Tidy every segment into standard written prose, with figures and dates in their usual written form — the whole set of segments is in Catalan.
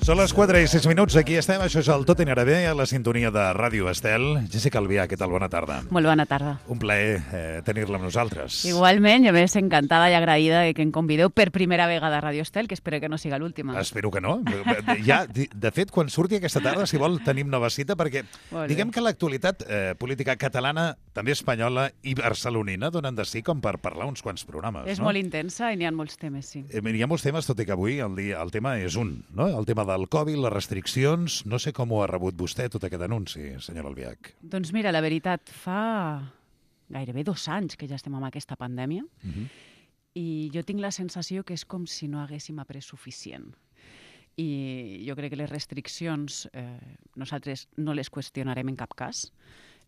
Són les 4 i 6 minuts, aquí estem, això és el Tot anirà bé, a la sintonia de Ràdio Estel. Jéssica Albià, què tal? Bona tarda. Molt bona tarda. Un plaer tenir-la amb nosaltres. Igualment, jo més encantada i agraïda que em convideu per primera vegada a Ràdio Estel, que espero que no siga l'última. Espero que no. Ja, de fet, quan surti aquesta tarda, si vol, tenim nova cita, perquè diguem que l'actualitat política catalana, també espanyola i barcelonina, donen de sí com per parlar uns quants programes. És molt intensa i n'hi ha molts temes, sí. Hi ha molts temes, tot i que avui el tema és un, no? El tema del Covid, les restriccions. No sé com ho ha rebut vostè, tot aquest anunci, senyora Albiach. Doncs mira, la veritat, fa gairebé 2 anys que ja estem amb aquesta pandèmia i jo tinc la sensació que és com si no haguéssim après suficient. I jo crec que les restriccions nosaltres no les qüestionarem en cap cas.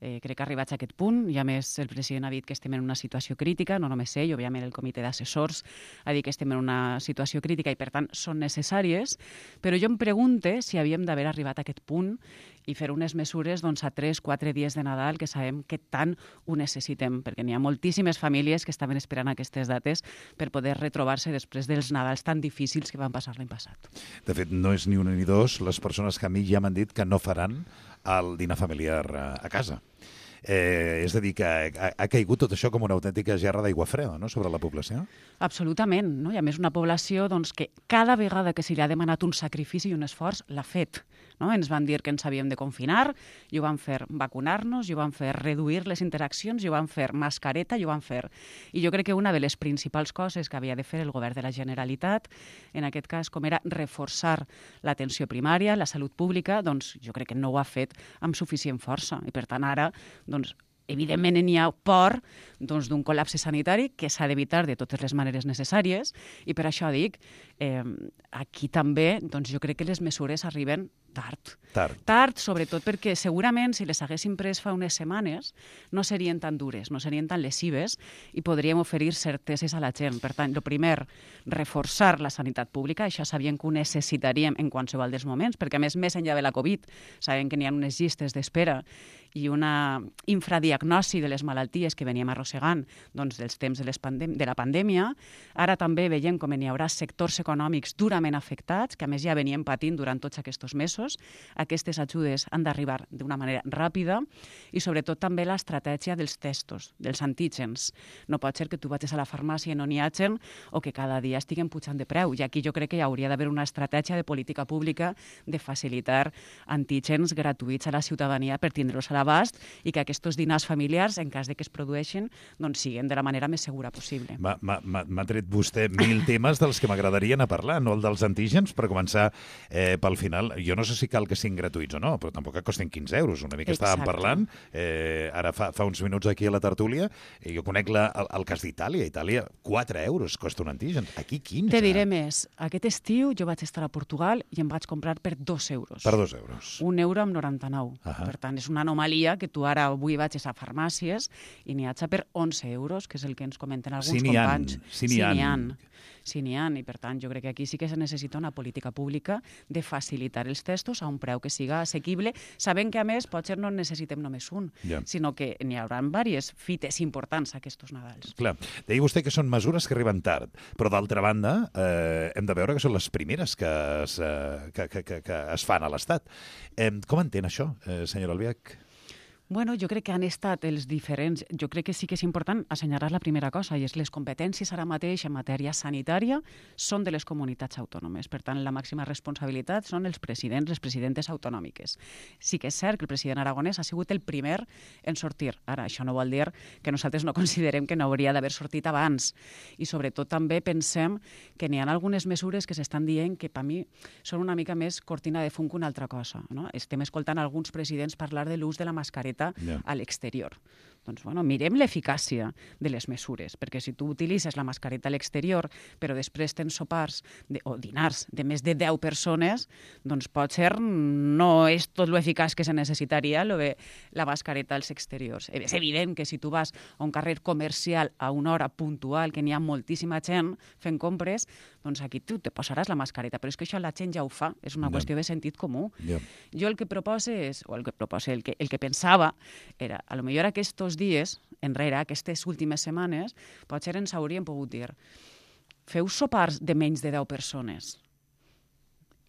Crec que arribats a aquest punt, i a més el president ha dit que estem en una situació crítica, no només ell, òbviament el comitè d'assessors ha dit que estem en una situació crítica i per tant són necessàries, però jo em pregunte si havíem d'haver arribat a aquest punt i fer unes mesures doncs, a 3-4 dies de Nadal que sabem que tant ho necessitem, perquè n'hi ha moltíssimes famílies que estaven esperant aquestes dates per poder retrobar-se després dels Nadals tan difícils que van passar l'any passat. De fet, no és ni una ni dos les persones que a mi ja m'han dit que no faran el dinar familiar a casa. És a dir, que ha caigut tot això com una autèntica gerra d'aigua freda, no?, sobre la població? Absolutament, no? I a més una població doncs, que cada vegada que se li ha demanat un sacrifici i un esforç l'ha fet. No? Ens van dir que ens havíem de confinar, i ho van fer vacunar-nos, i ho van fer reduir les interaccions, i ho van fer mascareta, i ho van fer. I jo crec que una de les principals coses que havia de fer el govern de la Generalitat, en aquest cas, com era reforçar l'atenció primària, la salut pública, doncs jo crec que no ho ha fet amb suficient força. I per tant ara, doncs, evidentment n'hi ha por d'un col·lapse sanitari que s'ha d'evitar de totes les maneres necessàries i per això dic, aquí també doncs jo crec que les mesures arriben tard. Tard, sobretot perquè segurament si les haguéssim pres fa unes setmanes no serien tan dures, no serien tan lesives i podríem oferir certeses a la gent. Per tant, el primer, reforçar la sanitat pública, això sabíem que ho necessitaríem en qualsevol dels moments, perquè a més enllà de la Covid, sabem que n'hi ha unes llistes d'espera i una infradiagnosi de les malalties que veníem arrossegant doncs, dels temps de la pandèmia. Ara també veiem com n'hi haurà sectors econòmics durament afectats, que a més ja venien patint durant tots aquests mesos. Aquestes ajudes han d'arribar d'una manera ràpida i sobretot també l'estratègia dels testos, dels antígens. No pot ser que tu vagis a la farmàcia i no n'hi hagin o que cada dia estiguen pujant de preu. I aquí jo crec que hi hauria d'haver una estratègia de política pública de facilitar antígens gratuïts a la ciutadania per tindre-los a l'abast i que aquests dinars familiars, en cas de que es produeixin, doncs siguin de la manera més segura possible. M'ha tret vostè 1000 temes dels que m'agradarien a parlar, no el dels antígens, per començar pel final. Jo no sé si cal que siguin gratuïts o no, però tampoc que costen 15 euros. Una mica estàvem parlant, ara fa uns minuts aquí a la tertúlia, jo conec el cas d'Itàlia. Itàlia, 4 euros costa un antígen. Aquí 15. Te diré més. Aquest estiu jo vaig estar a Portugal i em vaig comprar per 2 euros. Per 2 euros. 1 euro amb 99. Per tant, és una anomalia que tu ara avui vagis a farmàcies i n'hi ha per 11 euros, que és el que ens comenten alguns companys. Sí, n'hi ha. Sí, n'hi ha, i per tant jo crec que aquí sí que se necessita una política pública de facilitar els testos a un preu que siga assequible, sabent que a més potser no en necessitem només un, sinó que n'hi haurà diverses fites importants aquests Nadals. Clar, deia vostè que són mesures que arriben tard, però d'altra banda hem de veure que són les primeres que es fan a l'Estat. Com entén això, senyora Albiach? Bueno, jo crec que han estat els diferents... Jo crec que sí que és important assenyalar la primera cosa, i és les competències ara mateix en matèria sanitària són de les comunitats autònomes. Per tant, la màxima responsabilitat són els presidents, les presidentes autonòmiques. Sí que és cert que el president aragonès ha sigut el primer en sortir. Ara, això no vol dir que nosaltres no considerem que no hauria d'haver sortit abans. I sobretot també pensem que n'hi ha algunes mesures que s'estan dient que per mi són una mica més cortina de fum que una altra cosa. No? Estem escoltant alguns presidents parlar de l'ús de la mascareta a l'exterior. Doncs, bueno, mirem l'eficàcia de les mesures, perquè si tu utilitzes la mascareta a l'exterior, però després tens sopars o dinars de més de 10 persones, doncs potser no és tot lo eficaç que se necessitaria la mascareta als exteriors. És evident que si tu vas a un carrer comercial a una hora puntual, que n'hi ha moltíssima gent fent compres, doncs aquí tu te posaràs la mascareta, però és que això la gent ja ho fa, és una qüestió de sentit comú. Jo el que proposo és, o el que pensava, era, a lo millor aquests dies enrere, aquestes últimes setmanes, potser ens hauríem pogut dir feu sopars de menys de 10 persones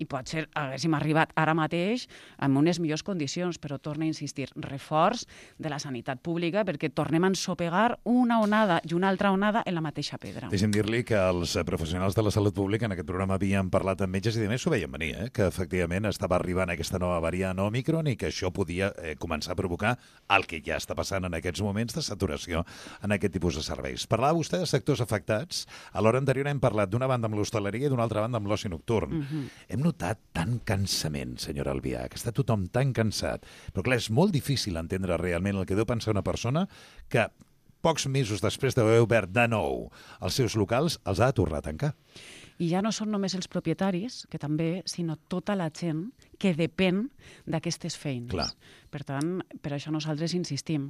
i potser haguéssim arribat ara mateix amb unes millors condicions, però torna a insistir, reforç de la sanitat pública perquè tornem a ensopegar una onada i una altra onada en la mateixa pedra. Deixi'm dir-li que els professionals de la salut pública en aquest programa havien parlat amb metges i de més s'ho veien venir, que efectivament estava arribant aquesta nova variant Omicron i que això podia començar a provocar el que ja està passant en aquests moments de saturació en aquest tipus de serveis. Parlava vostè de sectors afectats. A l'hora anterior hem parlat d'una banda amb l'hostaleria i d'una altra banda amb l'oci nocturn. Hem notat tant cansament, senyora Albiach, que està tothom tan cansat. Però clar, és molt difícil entendre realment el que deu pensar una persona que pocs mesos després d'haver obert de nou els seus locals els ha de tornar a tancar. I ja no són només els propietaris, que també, sinó tota la gent que depèn d'aquestes feines. Clar. Per tant, per això nosaltres insistim.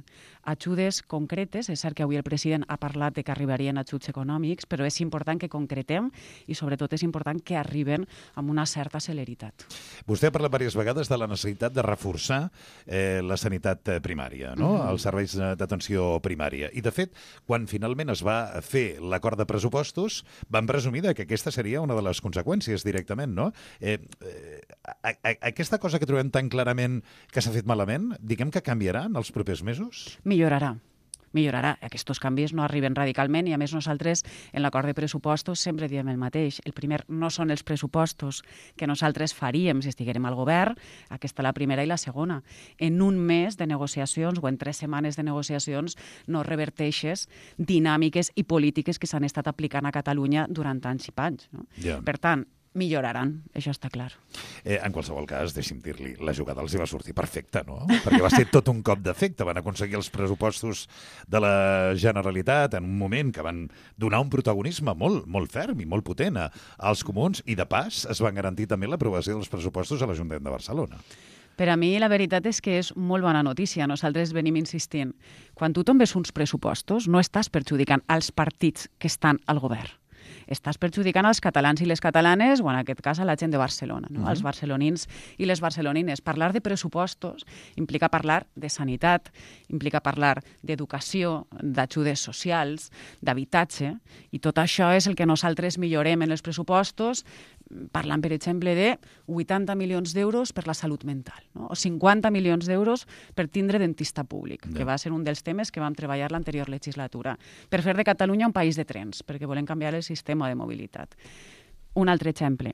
Ajudes concretes, és cert que avui el president ha parlat de que arribarien ajuts econòmics, però és important que concretem i sobretot és important que arriben amb una certa celeritat. Vostè ha parlat diverses vegades de la necessitat de reforçar la sanitat primària, no? Els serveis d'atenció primària. I, de fet, quan finalment es va fer l'acord de pressupostos, van presumir que aquesta seria una de les conseqüències directament, no? Aquesta cosa que trobem tan clarament que s'ha fet malament, diguem que canviarà en els propers mesos? Millorarà. Aquests canvis no arriben radicalment i, a més, nosaltres en l'acord de pressupostos sempre diem el mateix. El primer no són els pressupostos que nosaltres faríem si estiguérem al govern, aquesta la primera i la segona. En un mes de negociacions o en 3 setmanes de negociacions no reverteixes dinàmiques i polítiques que s'han estat aplicant a Catalunya durant anys i panys. No? Yeah. Per tant, milloraran, això està clar. En qualsevol cas, deixi'm dir-li, la jugada els hi va sortir perfecta, no? Perquè va ser tot un cop d'efecte. Van aconseguir els pressupostos de la Generalitat en un moment que van donar un protagonisme molt, molt ferm i molt potent als comuns i, de pas, es van garantir també l'aprovació dels pressupostos a l'Ajuntament de Barcelona. Per a mi la veritat és que és molt bona notícia. Nosaltres venim insistint. Quan tu tombes uns pressupostos, no estàs perjudicant els partits que estan al govern. Estàs perjudicant els catalans i les catalanes, o en aquest cas a la gent de Barcelona, no? Els barcelonins i les barcelonines. Parlar de pressupostos implica parlar de sanitat, implica parlar d'educació, d'ajudes socials, d'habitatge, i tot això és el que nosaltres millorem en els pressupostos, parlant, per exemple, de 80 milions d'euros per la salut mental, no? O 50 milions d'euros per tindre dentista públic, que va ser un dels temes que vam treballar l'anterior legislatura, per fer de Catalunya un país de trens, perquè volem canviar el sistema de mobilitat. Un altre exemple.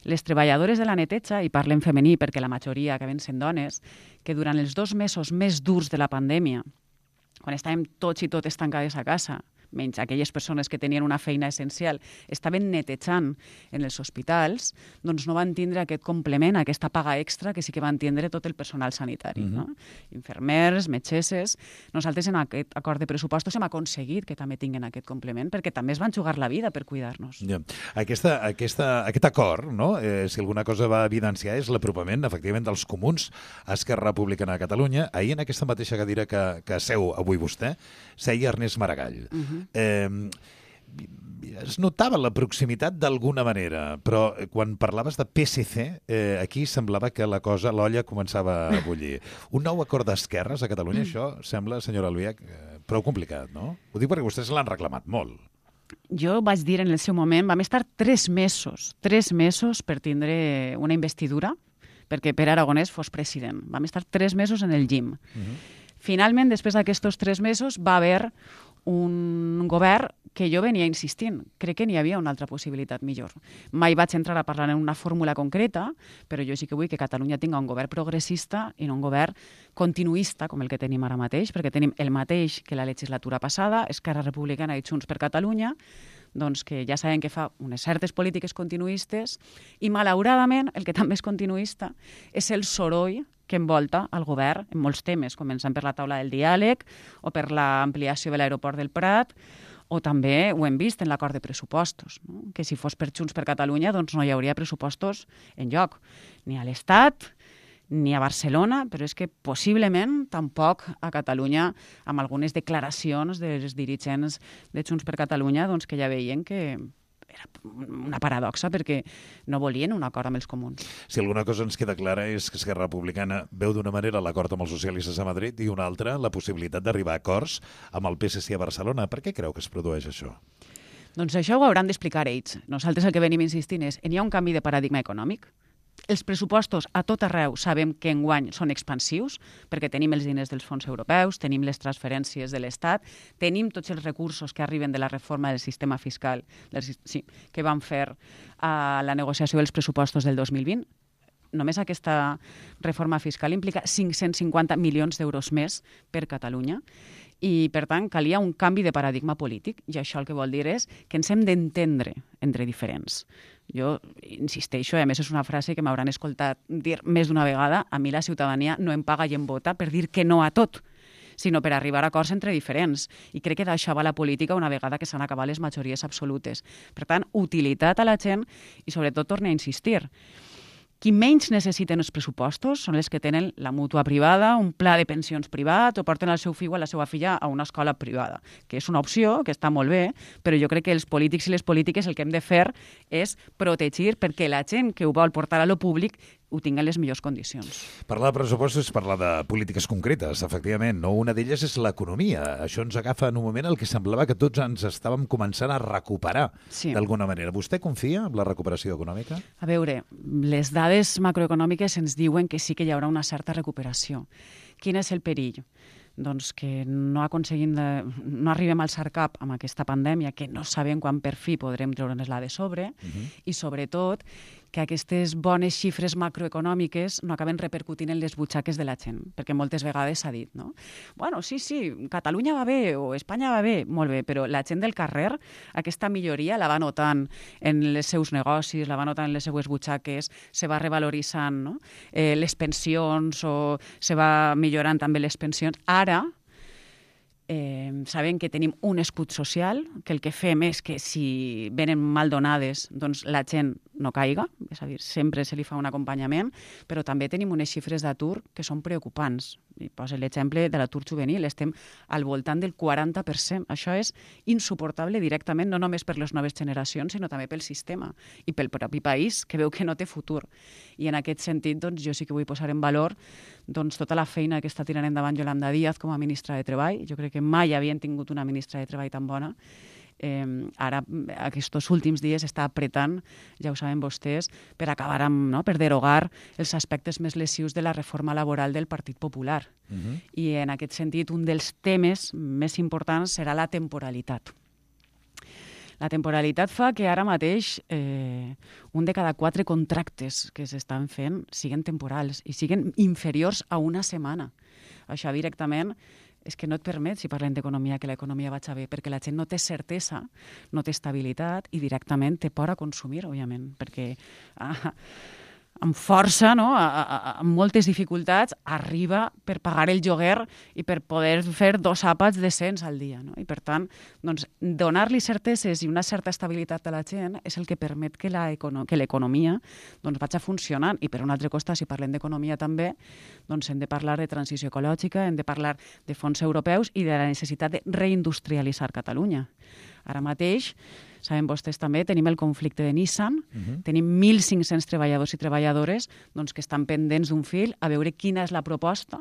Les treballadores de la neteja, i parlem femení perquè la majoria acaben sent dones, que durant els 2 mesos més durs de la pandèmia, quan estàvem tots i totes tancades a casa, menys aquelles persones que tenien una feina essencial, estaven netejant en els hospitals, doncs no van tindre aquest complement, aquesta paga extra que sí que van tindre tot el personal sanitari. No? Infermers, metgesses. Nosaltres en aquest acord de pressupostos hem aconseguit que també tinguin aquest complement, perquè també es van jugar la vida per cuidar-nos. Ja. Aquest acord, no? Si alguna cosa va evidenciar, és l'apropament, efectivament, dels comuns a Esquerra Republicana de Catalunya. Ahir, en aquesta mateixa cadira que seu avui vostè, seia Ernest Maragall. Es notava la proximitat d'alguna manera, però quan parlaves de PSC, aquí semblava que l'olla començava a bullir. Un nou acord d'esquerres a Catalunya, això sembla, senyora Albiach, prou complicat, no? Ho dic perquè vostès l'han reclamat molt. Jo vaig dir en el seu moment, vam estar 3 mesos per tindre una investidura, perquè Pere Aragonès fos president. Vam estar 3 mesos en el llim. Finalment, després d'aquests 3 mesos, va haver un govern que jo venia insistint. Crec que n'hi havia una altra possibilitat millor. Mai vaig entrar a parlar en una fórmula concreta, però jo sí que vull que Catalunya tinga un govern progressista i no un govern continuista, com el que tenim ara mateix, perquè tenim el mateix que la legislatura passada, Esquerra Republicana i Junts per Catalunya, doncs que ja sabem que fa unes certes polítiques continuistes i, malauradament, el que també és continuista és el soroll que envolta el govern en molts temes, començant per la taula del diàleg o per l'ampliació de l'aeroport del Prat, o també ho hem vist en l'acord de pressupostos, no? Que si fos per Junts per Catalunya doncs no hi hauria pressupostos enlloc, ni a l'Estat ni a Barcelona, però és que possiblement tampoc a Catalunya, amb algunes declaracions dels dirigents de Junts per Catalunya, doncs que ja veien que era una paradoxa perquè no volien un acord amb els comuns. Si alguna cosa ens queda clara és que Esquerra Republicana veu d'una manera l'acord amb els socialistes a Madrid i una altra la possibilitat d'arribar a acords amb el PSC a Barcelona. Per què creu que es produeix això? Doncs això ho hauran d'explicar ells. Nosaltres el que venim insistint és n'hi ha un canvi de paradigma econòmic, Els pressupostos a tot arreu sabem que enguany són expansius, perquè tenim els diners dels fons europeus, tenim les transferències de l'Estat, tenim tots els recursos que arriben de la reforma del sistema fiscal que van fer a la negociació dels pressupostos del 2020. Només aquesta reforma fiscal implica 550 milions d'euros més per Catalunya i, per tant, calia un canvi de paradigma polític i això el que vol dir és que ens hem d'entendre entre diferents. Jo insisteixo, a més és una frase que m'hauran escoltat dir més d'una vegada, a mi la ciutadania no em paga i em vota per dir que no a tot, sinó per arribar a acords entre diferents. I crec que d'això va la política una vegada que s'han acabat les majories absolutes. Per tant, utilitat a la gent i, sobretot, torne a insistir. Qui menys necessiten els pressupostos són els que tenen la mútua privada, un pla de pensions privat o porten el seu fill o la seva filla a una escola privada, que és una opció, que està molt bé, però jo crec que els polítics i les polítiques el que hem de fer és protegir perquè la gent que ho vol portar a lo públic ho tingui en les millors condicions. Parlar de pressupostos és parlar de polítiques concretes, efectivament. No? Una d'elles és l'economia. Això ens agafa en un moment en què semblava que tots ens estàvem començant a recuperar d'alguna manera. Vostè confia en la recuperació econòmica? A veure, les dades macroeconòmiques ens diuen que sí que hi haurà una certa recuperació. Quin és el perill? Doncs que no arribem al SARCAP amb aquesta pandèmia, que no sabem quan per fi podrem treure'ns-la de sobre, i sobretot que aquestes bones xifres macroeconòmiques no acaben repercutint en les butxaques de la gent, perquè moltes vegades s'ha dit, no? Bueno, sí, Catalunya va bé o Espanya va bé, molt bé, però la gent del carrer aquesta milloria la va notant en els seus negocis, la va notant en les seues butxaques, se va revaloritzant, no? Les pensions o se va millorant també les pensions. Ara, sabem que tenim un escut social, que el que fem és que si venen mal donades, doncs la gent no caiga, és a dir, sempre se li fa un acompanyament, però també tenim unes xifres d'atur que són preocupants. I poso l'exemple de l'atur juvenil, estem al voltant del 40%. Això és insuportable directament, no només per les noves generacions, sinó també pel sistema i pel propi país, que veu que no té futur. I en aquest sentit, doncs, jo sí que vull posar en valor tota la feina que està tirant endavant Yolanda Díaz com a ministra de Treball. Jo crec que mai havien tingut una ministra de Treball tan bona. Ara, aquests últims dies, està apretant, ja ho saben vostès, per acabar amb, no?, per derogar els aspectes més lesius de la reforma laboral del Partit Popular. I en aquest sentit, un dels temes més importants serà la temporalitat. La temporalitat fa que ara mateix un de cada 4 contractes que s'estan fent siguen temporals i siguen inferiors a una setmana. Això directament és que no et permet, si parlem d'economia, que l'economia vagi bé, perquè la gent no té certesa, no té estabilitat i directament té por a consumir, òbviament, perquè amb força, no?, amb moltes dificultats, arriba per pagar el lloguer i per poder fer 2 àpats decents al dia. No? I, per tant, doncs, donar-li certeses i una certa estabilitat a la gent és el que permet que l'economia doncs, vagi funcionant. I, per un altre costat, si parlem d'economia també, doncs hem de parlar de transició ecològica, hem de parlar de fons europeus i de la necessitat de reindustrialitzar Catalunya. Ara mateix, saben vostès també, tenim el conflicte de Nissan, tenim 1.500 treballadors i treballadores doncs, que estan pendents d'un fil a veure quina és la proposta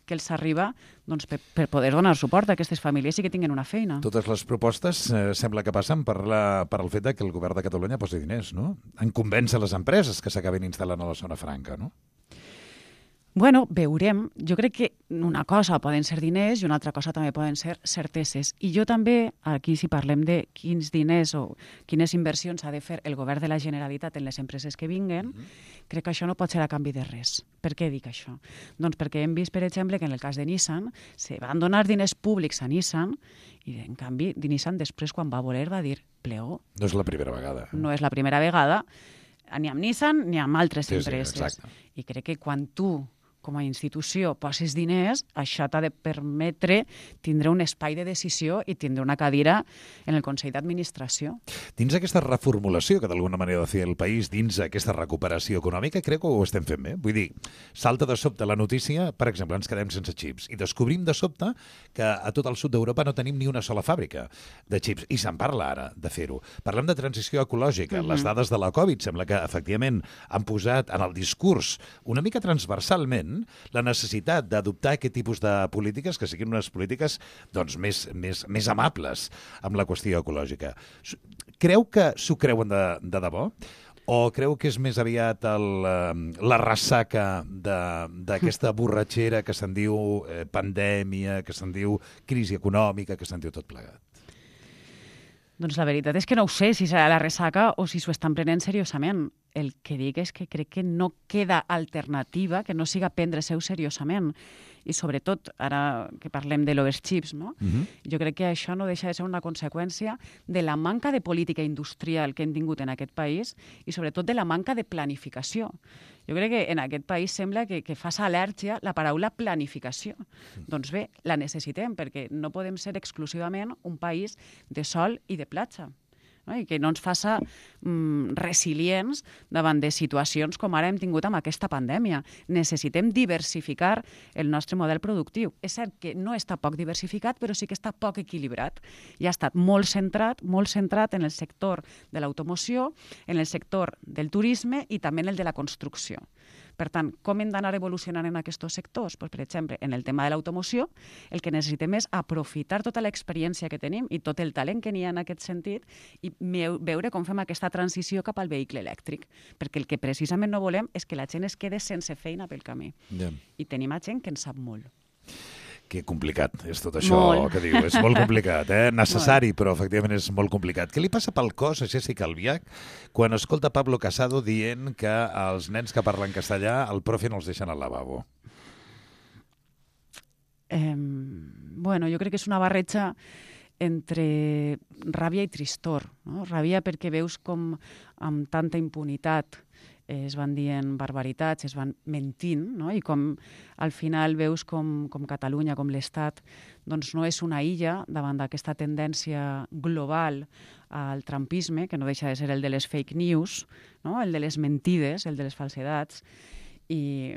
que els arriba doncs, per poder donar suport a aquestes famílies i que tinguin una feina. Totes les propostes sembla que passen per el fet que el govern de Catalunya posi diners, no? En convèncer les empreses que s'acabin instal·lant a la zona franca, no? Bueno, veurem. Jo crec que una cosa poden ser diners i una altra cosa també poden ser certeses. I jo també, aquí si parlem de quins diners o quines inversions ha de fer el govern de la Generalitat en les empreses que vinguen, crec que això no pot ser a canvi de res. Per què dic això? Doncs perquè hem vist, per exemple, que en el cas de Nissan se van donar diners públics a Nissan i, en canvi, Nissan després, quan va voler, va dir pleó. No és la primera vegada. No és la primera vegada, ni amb Nissan ni amb altres empreses. Exacte. I crec que quan tu com a institució poses diners, això t'ha de permetre tindre un espai de decisió i tindre una cadira en el Consell d'Administració. Dins aquesta reformulació que d'alguna manera ha de fer el país, dins aquesta recuperació econòmica, crec que ho estem fent bé. Vull dir, salta de sobte la notícia, per exemple, ens quedem sense xips, i descobrim de sobte que a tot el sud d'Europa no tenim ni una sola fàbrica de xips, i se'n parla ara de fer-ho. Parlem de transició ecològica. Les dades de la Covid sembla que, efectivament, han posat en el discurs una mica transversalment la necessitat d'adoptar aquest tipus de polítiques que siguin unes polítiques doncs, més amables amb la qüestió ecològica. Creu que s'ho creuen de debò? O creu que és més aviat la ressaca d'aquesta borratxera que se'n diu pandèmia, que se'n diu crisi econòmica, que se'n diu tot plegat? Doncs la veritat és que no ho sé si serà la ressaca o si s'ho estan prenent seriosament. El que dic és que crec que no queda alternativa que no siga prendre-se-ho seriosament. I sobretot, ara que parlem de l'overships, no? Jo crec que això no deixa de ser una conseqüència de la manca de política industrial que hem tingut en aquest país i sobretot de la manca de planificació. Jo crec que en aquest país sembla que fa al·lèrgia la paraula planificació. Doncs bé, la necessitem perquè no podem ser exclusivament un país de sol i de platja. No? I que no ens faça resilients davant de situacions com ara hem tingut amb aquesta pandèmia. Necessitem diversificar el nostre model productiu. És cert que no està poc diversificat, però sí que està poc equilibrat. I ha estat molt centrat en el sector de l'automoció, en el sector del turisme i també en el de la construcció. Per tant, com hem d'anar evolucionant en aquests sectors? Pues, per exemple, en el tema de l'automoció, el que necessitem és aprofitar tota l'experiència que tenim i tot el talent que n'hi ha en aquest sentit i veure com fem aquesta transició cap al vehicle elèctric. Perquè el que precisament no volem és que la gent es quede sense feina pel camí. Yeah. I tenim gent que en sap molt. Que complicat és tot això que diu. És molt complicat, necessari, però efectivament és molt complicat. Què li passa pel cos a Jessica Albiach quan escolta Pablo Casado dient que els nens que parlen castellà el profe no els deixen al lavabo? Bueno, jo crec que és una barreja entre ràbia i tristor. No? Ràbia perquè veus com amb tanta impunitat es van dient barbaritats, es van mentint, no? I com al final veus com Catalunya, com l'Estat, doncs no és una illa davant d'aquesta tendència global al trumpisme, que no deixa de ser el de les fake news, no? El de les mentides, el de les falsedats, i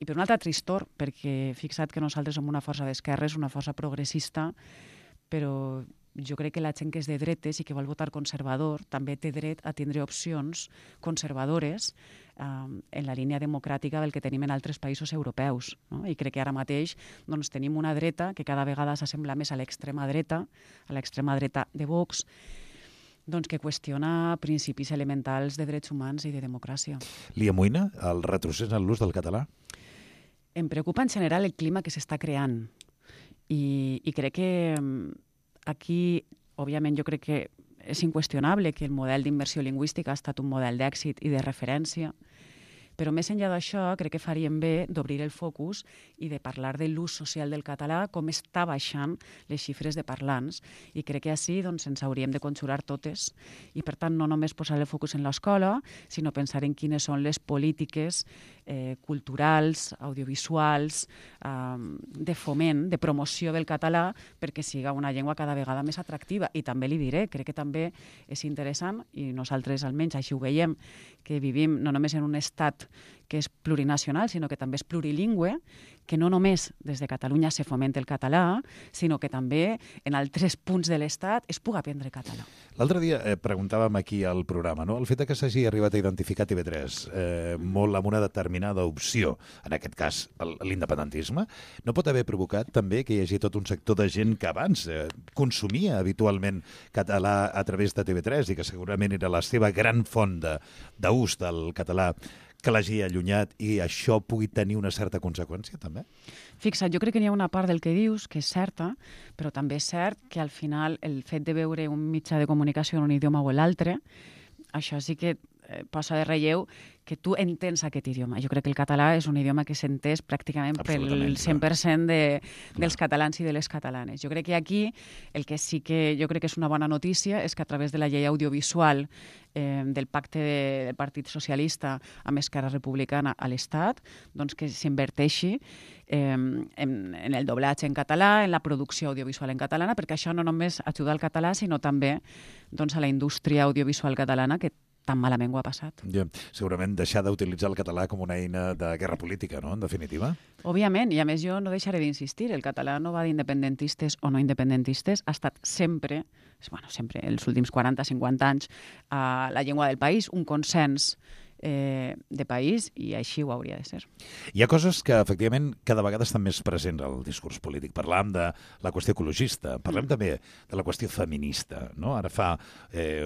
per un altre tristor, perquè fixa't que nosaltres som una força d'esquerres, una força progressista, però jo crec que la gent que és de dretes i que vol votar conservador també té dret a tindre opcions conservadores en la línia democràtica del que tenim en altres països europeus. No? I crec que ara mateix doncs, tenim una dreta que cada vegada s'assembla més a l'extrema dreta de Vox, doncs, que qüestiona principis elementals de drets humans i de democràcia. Li amoïna el retrocés en l'ús del català? Em preocupa en general el clima que s'està creant i crec que aquí, òbviament, jo crec que és inqüestionable que el model d'immersió lingüística ha estat un model d'èxit i de referència, però més enllà d'això crec que faríem bé d'obrir el focus i de parlar de l'ús social del català, com està baixant les xifres de parlants, i crec que així doncs, ens hauríem de conjurar totes i per tant no només posar el focus en l'escola, sinó pensar en quines són les polítiques culturals, audiovisuals, de foment, de promoció del català perquè siga una llengua cada vegada més atractiva. I també li diré, crec que també és interessant, i nosaltres almenys així ho veiem, que vivim no només en un estat que és plurinacional, sinó que també és plurilingüe, que no només des de Catalunya se fomenta el català, sinó que també en altres punts de l'Estat es puga aprendre català. L'altre dia preguntàvem aquí al programa, no? El fet que s'hagi arribat a identificar TV3 molt amb una determinada opció, en aquest cas l'independentisme, no pot haver provocat també que hi hagi tot un sector de gent que abans consumia habitualment català a través de TV3 i que segurament era la seva gran font d'ús del català, que l'hagi allunyat i això pugui tenir una certa conseqüència, també? Fixa't, jo crec que n'hi ha una part del que dius que és certa, però també és cert que al final el fet de veure un mitjà de comunicació en un idioma o l'altre, això sí que posa de relleu que tu entens aquest idioma. Jo crec que el català és un idioma que s'entès pràcticament pel 100% dels catalans i de les catalanes. Jo crec que aquí el que sí que jo crec que és una bona notícia és que a través de la llei audiovisual del pacte del Partit Socialista amb Esquerra Republicana a l'Estat, doncs que s'inverteixi en el doblatge en català, en la producció audiovisual en catalana, perquè això no només ajuda al català, sinó també doncs, a la indústria audiovisual catalana que tan malament ho ha passat. Ja, segurament deixar d'utilitzar el català com una eina de guerra política, no?, en definitiva. Òbviament, i a més jo no deixaré d'insistir, el català no va d'independentistes o no independentistes, ha estat sempre, els últims 40-50 anys, la llengua del país, un consens de país, i així ho hauria de ser. Hi ha coses que, efectivament, cada vegada estan més presents al discurs polític. Parlàvem de la qüestió ecologista, parlem també de la qüestió feminista. No? Ara fa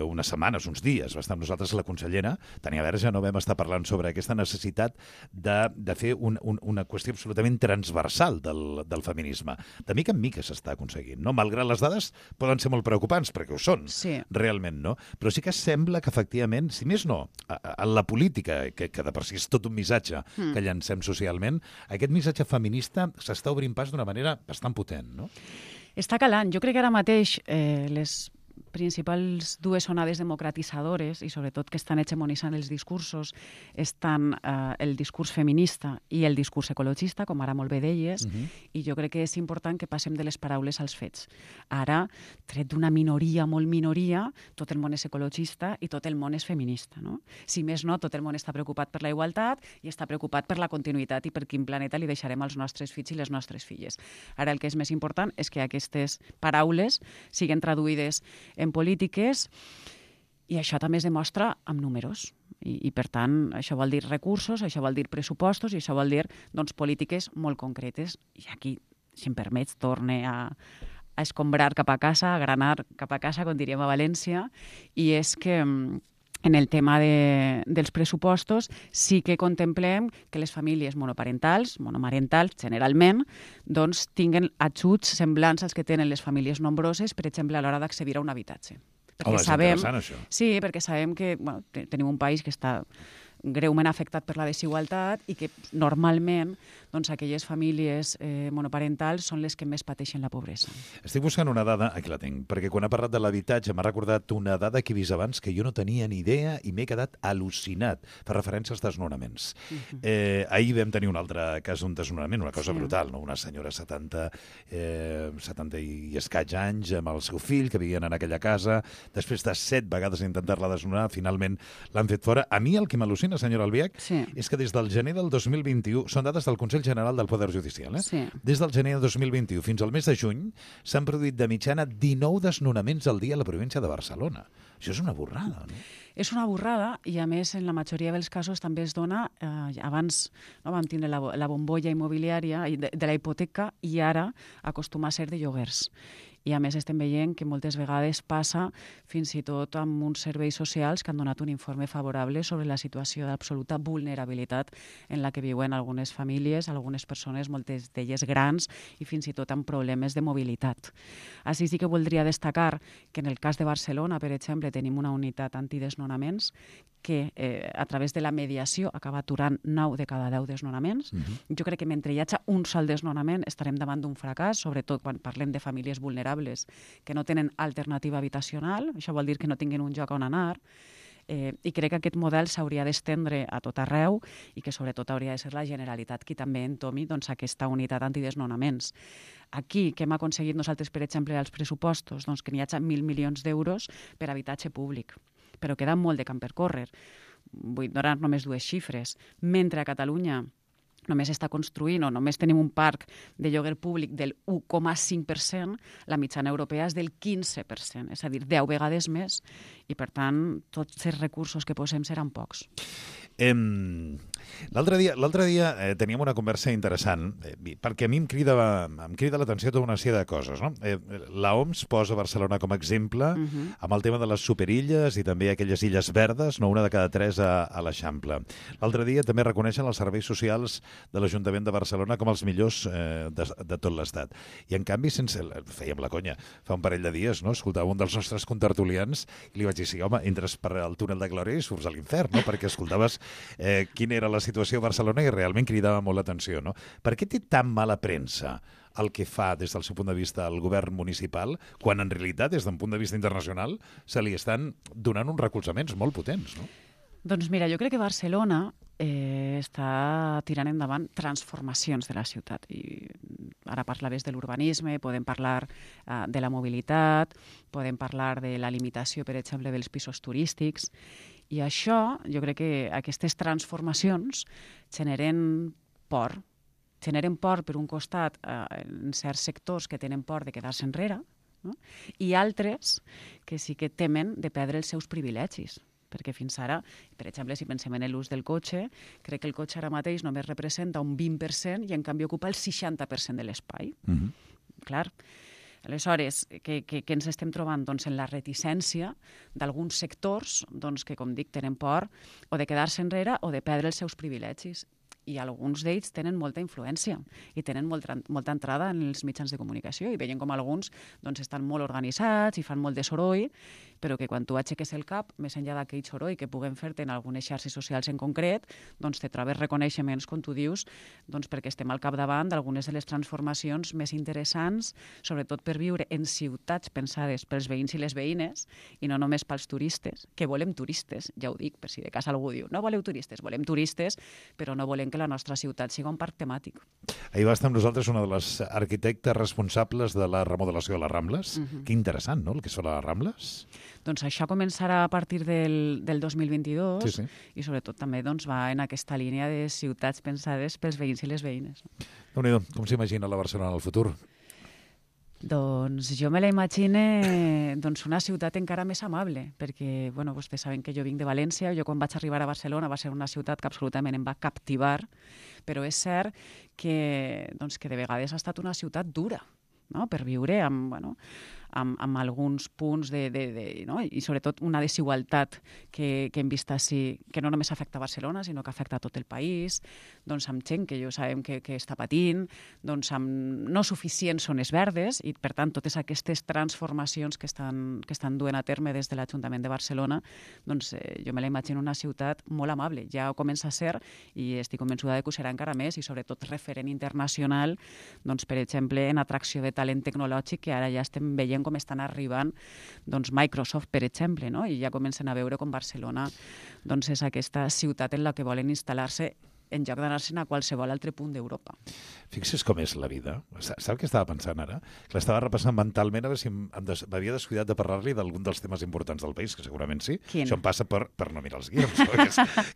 unes setmanes, uns dies, va estar amb nosaltres la consellera Tania Verge, no vam estar parlant sobre aquesta necessitat de fer una qüestió absolutament transversal del feminisme. De mica en mica s'està aconseguint. No? Malgrat les dades poden ser molt preocupants, perquè ho són, realment, no? Però sí que sembla que, efectivament, si més no, en la política, que de per si és tot un missatge que llancem socialment, aquest missatge feminista s'està obrint pas d'una manera bastant potent, no? Està calant. Jo crec que ara mateix les principals dues onades democratitzadores i sobretot que estan hegemonitzant els discursos estan el discurs feminista i el discurs ecologista, com ara molt bé deies, i jo crec que és important que passem de les paraules als fets. Ara, tret d'una minoria, molt minoria, tot el món és ecologista i tot el món és feminista. No? Si més no, tot el món està preocupat per la igualtat i està preocupat per la continuïtat i per quin planeta li deixarem als nostres fills i les nostres filles. Ara el que és més important és que aquestes paraules siguin traduïdes en polítiques, i això també es demostra amb números. I per tant, això vol dir recursos, això vol dir pressupostos, i això vol dir polítiques molt concretes. I aquí, si em permets, torne a escombrar cap a casa, a granar cap a casa, com diríem a València, i és que en el tema dels pressupostos sí que contemplem que les famílies monoparentals, monomarentals, generalment, tinguen ajuts semblants als que tenen les famílies nombroses, per exemple, a l'hora d'accedir a un habitatge. Home, és interessant, això. Sí, perquè sabem que tenim un país que està greument afectat per la desigualtat i que normalment aquelles famílies monoparentals són les que més pateixen la pobresa. Estic buscant una dada, aquí la tinc, perquè quan ha parlat de l'habitatge m'ha recordat una dada que he vist abans que jo no tenia ni idea i m'he quedat al·lucinat. Fa referència als desnonaments. Ahir vam tenir un altre cas d'un desnonament, una cosa brutal, no? Una senyora 70 i escaig anys amb el seu fill que vivien en aquella casa. Després de 7 vegades intentar-la desnonar, finalment l'han fet fora. A mi el que m'al·lucina, senyora Albiach, és que des del gener del 2021, són dades del Consell General del Poder Judicial, des del gener del 2021 fins al mes de juny s'han produït de mitjana 19 desnonaments al dia a la província de Barcelona. Això és una borrada, no? És una borrada i, a més, en la majoria dels casos també es dona, abans vam tindre la bombolla immobiliària de la hipoteca i ara acostuma a ser de lloguers. I, a més, estem veient que moltes vegades passa fins i tot amb uns serveis socials que han donat un informe favorable sobre la situació d'absoluta vulnerabilitat en la que viuen algunes famílies, algunes persones, moltes d'elles grans, i fins i tot amb problemes de mobilitat. Així sí que voldria destacar que en el cas de Barcelona, per exemple, tenim una unitat antidesnonaments que a través de la mediació acaba aturant 9 de cada 10 desnonaments. Jo crec que mentre hi hagi un sol desnonament estarem davant d'un fracàs, sobretot quan parlem de famílies vulnerables que no tenen alternativa habitacional. Això vol dir que no tinguin un lloc on anar. I crec que aquest model s'hauria d'estendre a tot arreu i que sobretot hauria de ser la Generalitat qui també entomi aquesta unitat antidesnonaments. Aquí, que hem aconseguit nosaltres, per exemple, als pressupostos, que n'hi hagi 1.000 milions d'euros per habitatge públic, però queda molt de camp per córrer. Vull donar només 2 xifres. Mentre a Catalunya només està construint o només tenim un parc de lloguer públic del 1,5%, la mitjana europea és del 15%, és a dir, 10 vegades més, i per tant tots els recursos que posem seran pocs. L'altre dia teníem una conversa interessant, perquè a mi em crida l'atenció tota una sèrie de coses. No? L'OMS posa Barcelona com a exemple amb el tema de les superilles i també aquelles illes verdes, una de cada 3 a l'Eixample. L'altre dia també reconeixen els serveis socials de l'Ajuntament de Barcelona com els millors de tot l'Estat. I en canvi, fèiem la conya, fa un parell de dies, no? Escoltava un dels nostres contertulians i li vaig dir, sí, home, entres per el túnel de Glòria i surts a l'infern, no? Perquè escoltaves quina era la situació a Barcelona i realment cridava molt l'atenció, no? Per què té tan mala premsa el que fa des del seu punt de vista el govern municipal, quan en realitat, des d'un punt de vista internacional, se li estan donant uns recolzaments molt potents, no? Doncs mira, jo crec que Barcelona està tirant endavant transformacions de la ciutat. I ara parlaves de l'urbanisme, podem parlar de la mobilitat, podem parlar de la limitació, per exemple, dels pisos turístics. I això, jo crec que aquestes transformacions generen por. Generen por, per un costat, en certs sectors que tenen por de quedar-se enrere, no? I altres que sí que temen de perdre els seus privilegis. perquè fins ara, per exemple, si pensem en l'ús del cotxe, crec que el cotxe ara mateix només representa un 20% i en canvi ocupa el 60% de l'espai. Clar. Aleshores, què ens estem trobant? Doncs en la reticència d'alguns sectors que, com dic, tenen por o de quedar-se enrere o de perdre els seus privilegis. I alguns d'ells tenen molta influència i tenen molta entrada en els mitjans de comunicació i veiem com alguns estan molt organitzats i fan molt de soroll, però que quan tu aixeques el cap, més enllà d'aquell soroll que puguem fer-te en algunes xarxes socials en concret, te trobes reconeixements, com tu dius, perquè estem al capdavant d'algunes de les transformacions més interessants, sobretot per viure en ciutats pensades pels veïns i les veïnes i no només pels turistes, que volem turistes, ja ho dic, per si de cas algú diu, no voleu turistes, volem turistes, però no volem que la nostra ciutat sigui un parc temàtic. Ahir va estar amb nosaltres una de les arquitectes responsables de la remodelació de les Rambles. Que interessant, no?, el que són les Rambles. Doncs això començarà a partir del 2022 i sobretot també va en aquesta línia de ciutats pensades pels veïns i les veïnes. Déu-n'hi-do, com s'imagina la Barcelona en el futur? Doncs jo me la imagine una ciutat encara més amable, perquè vostès saben que jo vinc de València, jo quan vaig arribar a Barcelona va ser una ciutat que absolutament em va captivar, però és cert que de vegades ha estat una ciutat dura, no?, per viure amb alguns punts i sobretot una desigualtat que hem vist així, que no només afecta Barcelona, sinó que afecta tot el país, amb gent que jo sabem que està patint, amb no suficients zones verdes i, per tant, totes aquestes transformacions que estan duent a terme des de l'Ajuntament de Barcelona, jo me la imagino una ciutat molt amable. Ja ho comença a ser i estic convençuda que ho serà encara més i, sobretot, referent internacional, per exemple, en atracció de talent tecnològic, que ara ja estem veient com estan arribant Microsoft, per exemple, no? I ja comencen a veure com Barcelona és aquesta ciutat en la que volen instal·lar-se en lloc d'anar-se'n a qualsevol altre punt d'Europa. Fixa't com és la vida. Sap què estava pensant ara? Que l'estava repassant mentalment a veure si m'havia descuidat de parlar-li d'algun dels temes importants del país, que segurament sí. Quin? Això em passa per no mirar els guions,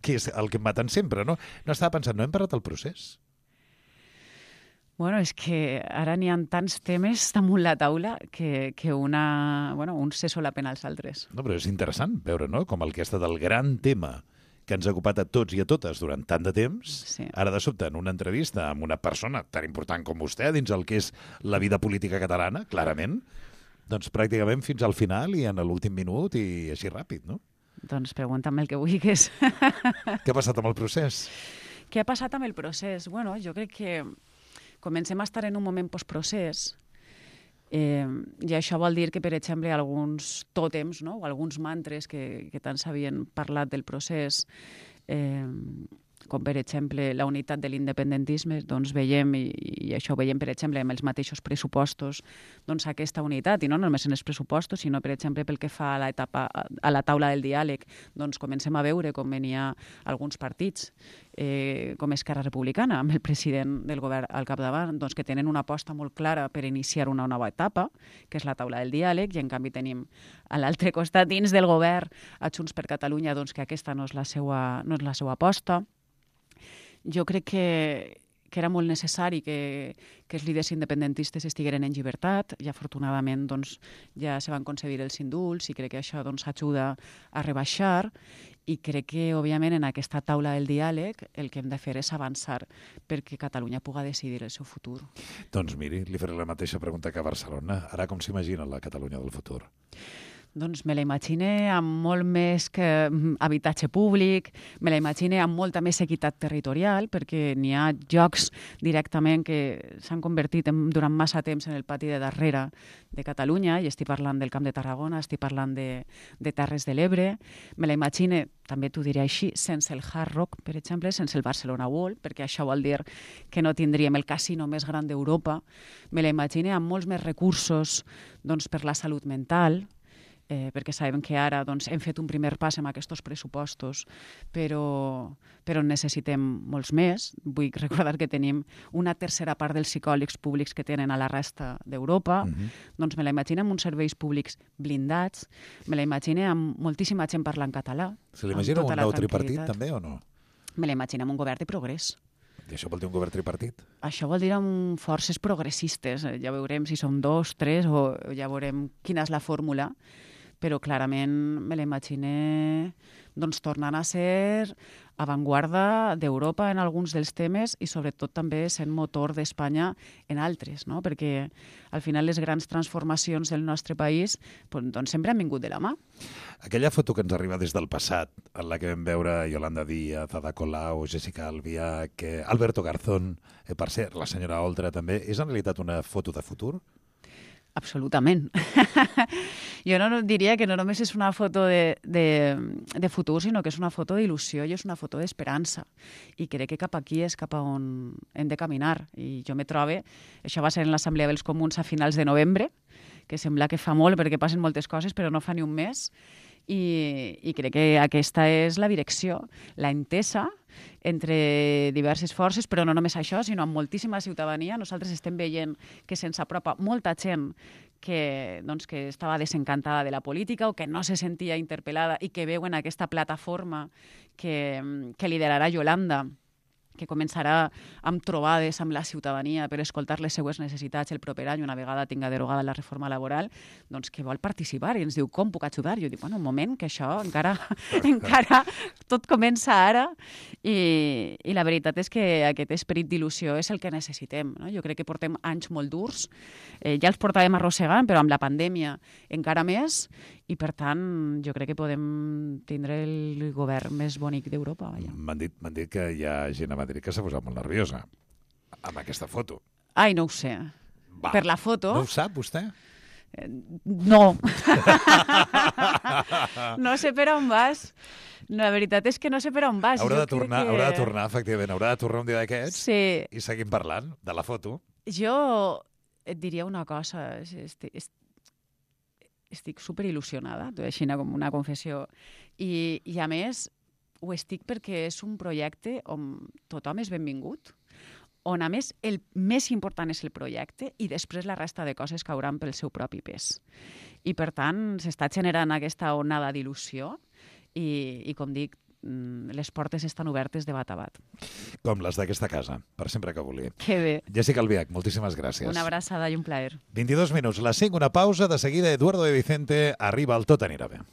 que és el que em maten sempre, no? No estava pensant, no hem parlat del procés? Bueno, és que ara n'hi ha tants temes damunt la taula que uns se solapen als altres. No, però és interessant veure, no?, com el que ha estat el gran tema que ens ha ocupat a tots i a totes durant tant de temps, ara de sobte en una entrevista amb una persona tan important com vostè dins el que és la vida política catalana, clarament, pràcticament fins al final i en l'últim minut i així ràpid, no? Doncs pregunta'm el que vulguis. Què ha passat amb el procés? Què ha passat amb el procés? Bueno, jo crec que comencem a estar en un moment postprocés i això vol dir que, per exemple, alguns tòtems, no?, o alguns mantres que tant s'havien parlat del procés, com per exemple la unitat de l'independentisme, veiem, i això ho veiem per exemple amb els mateixos pressupostos, aquesta unitat, i no només en els pressupostos, sinó per exemple pel que fa a la taula del diàleg, comencem a veure com hi ha alguns partits, com Esquerra Republicana, amb el president del govern al capdavant, que tenen una aposta molt clara per iniciar una nova etapa, que és la taula del diàleg, i en canvi tenim a l'altre costat, dins del govern, a Junts per Catalunya, que aquesta no és la seva aposta. Jo crec que era molt necessari que els líders independentistes estigueren en llibertat i afortunadament ja se van concedir els indults i crec que això ajuda a rebaixar i crec que òbviament en aquesta taula del diàleg el que hem de fer és avançar perquè Catalunya pugui decidir el seu futur. Doncs miri, li faré la mateixa pregunta que a Barcelona. Ara com s'imagina la Catalunya del futur? Doncs me la imagine amb molt més que habitatge públic, me la imagine amb molta més equitat territorial, perquè n'hi ha llocs directament que s'han convertit durant massa temps en el pati de darrere de Catalunya, i estic parlant del Camp de Tarragona, estic parlant de Terres de l'Ebre. Me la imagine, també t'ho diré així, sense el Hard Rock, per exemple, sense el Barcelona World, perquè això vol dir que no tindríem el casino més gran d'Europa. Me la imagine amb molts més recursos per la salut mental, perquè sabem que ara hem fet un primer pas amb aquests pressupostos, però necessitem molts més. Vull recordar que tenim una tercera part dels psicòlegs públics que tenen a la resta d'Europa. Doncs me la imagino amb uns serveis públics blindats, me la imagino amb moltíssima gent parlant català. Se l'imagina un nou tripartit també o no? Me la imagino amb un govern de progrés. I això vol dir un govern tripartit? Això vol dir amb forces progressistes. Ja veurem si som 2, 3 o ja veurem quina és la fórmula. però clarament me l'imagine doncs, tornant a ser avantguarda d'Europa en alguns dels temes i sobretot també sent motor d'Espanya en altres, no? Perquè al final les grans transformacions del nostre país doncs, sempre han vingut de la mà. Aquella foto que ens arriba des del passat, en la que vam veure Yolanda Díaz, Ada Colau, Jessica Albiach, Alberto Garzón, per ser la senyora Oltra també, és en realitat una foto de futur? Absolutament. Jo no diria que no només és una foto de futur, sinó que és una foto d'il·lusió i és una foto d'esperança. I crec que cap aquí és cap a on hem de caminar. I jo me trobo, això va ser en l'Assemblea dels Comuns a finals de novembre, que sembla que fa molt perquè passen moltes coses, però no fa ni un mes. I crec que aquesta és la direcció, la entesa entre diverses forces, però no només això, sinó amb moltíssima ciutadania. Nosaltres estem veient que se'ns apropa molta gent que estava desencantada de la política o que no se sentia interpel·lada i que veuen aquesta plataforma que liderarà Yolanda, que començarà amb trobades amb la ciutadania per escoltar les seues necessitats el proper any, una vegada tinga derogada la reforma laboral, doncs que vol participar i ens diu, com puc ajudar? Jo dic, bueno, un moment, que això encara tot comença ara i la veritat és que aquest esperit d'il·lusió és el que necessitem, no? Jo crec que portem anys molt durs, ja els portàvem arrossegant, però amb la pandèmia encara més, i per tant jo crec que podem tindre el govern més bonic d'Europa. M'han dit que hi ha gent a Madrid que s'ha posat molt nerviosa amb aquesta foto. Ai, no ho sé. Va. Per la foto... No ho sap, vostè? No. No sé per on vas. La veritat és que no sé per on vas. Haurà de tornar, efectivament. Haurà de tornar un dia d'aquests i seguim parlant de la foto. Jo et diria una cosa. Estic superil·lusionada, així com una confessió. I a més, ho estic perquè és un projecte on tothom és benvingut, on a més el més important és el projecte i després la resta de coses cauran pel seu propi pes. I per tant s'està generant aquesta onada d'il·lusió i com dic, les portes estan obertes de bat a bat. Com les d'aquesta casa, per sempre que vulgui. Que bé. Jessica Albiach, moltíssimes gràcies. Una abraçada i un plaer. 22 minuts, les 5, una pausa, de seguida Eduardo de Vicente arriba al Tot anirà bé.